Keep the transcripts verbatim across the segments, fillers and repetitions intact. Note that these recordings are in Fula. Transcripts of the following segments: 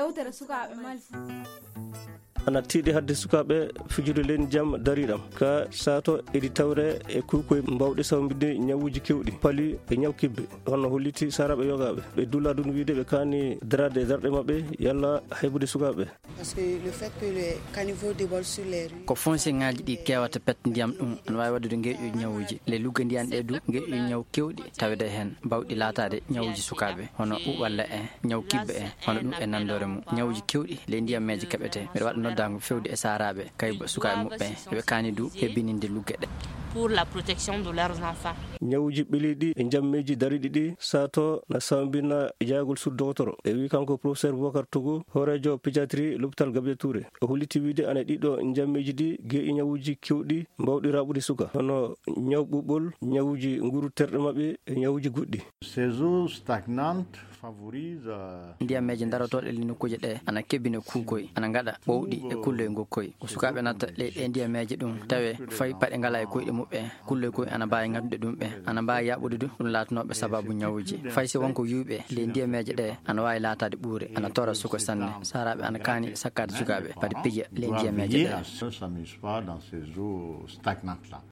Yewtere sukaaɓe Mali. Ana tiiɗi hadde sukaaɓe fijude leydi jam dariiɗam. Ka sato eɗi tawre e kuukoy mbawɗi sawmbinde ñawuuji kewɗi, pali e ñaw kibbe. Hono holliti saaraaɓe yogaaɓe. Ɓe dulla ɗum wiide ɓe kaani daraade e darɗe maɓɓe yalla haybude sukaaɓe. Parce que le fait que les caniveaux débordent sur les rues. Ko fonseŋaaji ɗi kewata pet ndiyam ɗum, ana waawi waɗude ngeeƴuuji ñawuuji. Le lugge ndiyan ɗe du, ngeeƴuuji ñaw kewɗi tawede heen, mbawɗi laataade ñawuuji sukaaɓe, hono ɓuuɓalla en, ñaw kibbe en, hono ɗum e nandoore mum. Ñawuuji kewɗi ley ndiyammeeje keɓete. Mbeɗa waɗa noddaango fewde e saaraaɓe, kayba sukaaɓe muɓɓe, eɓe kaani du hebbininde lugge ɗe. Pour la protection de leurs enfants. Ñawuuji ɓeliiɗi e njammeeji dariiɗi ɗi sato na sawmbina yaagol sur dogotoro. E wi kanko professeur Boubacar Togo, hooreejo pédiatrie l'hôpital Gabriel Touré. O holliti wiide ana ɗiɗo njammeeji ɗi geeƴi ñawuuji kewɗi mbawɗi raɓude suka, hono ñaw ɓuɓɓol, ñawuuji nguru terɗe maɓɓe e ñawuuji goɗɗi. Ces eaux stagnantes favorisent, euh, ndiyammeeje darotooɗe le nokkuuje ɗe ana kebbina kuukoy, ana ngaɗa ɓowɗi e kulloy ngokkoy. Ko sukaaɓe natta le ɗe ndiyammeeje ɗum tawe fay paɗe ngala e koyɗe muɓɓe. Kulloy koy ana mbaawi ŋattude ɗum ɓe, ana mbaawi yaɓude ɗum, ɗum laatanooɓe sababu ñawuuji. Fay si wonko yuuɓe le ndiyameeje ɗe, ana waawi laataade ɓuure, ana tora suko sanne. Saaraaɓe ana kaani sakkaade sukaaɓe, padi pija le ndiyameeje ɗe.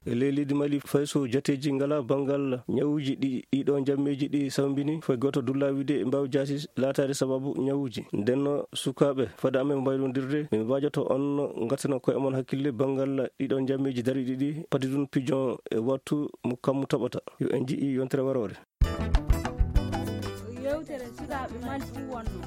E ley leydi Mali, fay so jateeji ngala banngal ñawuuji ɗi, ɗiɗo njammeeji ɗi sawmbini, fay gooto dulla wiide e mbaawi jaasi laataade sababu ñawuuji. Ndenno sukaaɓe, fade amen mbaylondirde, min mbaajoto on ngartana koye mon hakkille banngal ɗiɗo njammeeji dariiɗi ɗi, padi ɗum pijon e wattu mo kammu toɓata. Yo en nji'i yontere waroore. Yewtere sukaaɓe Mali fuu wonno.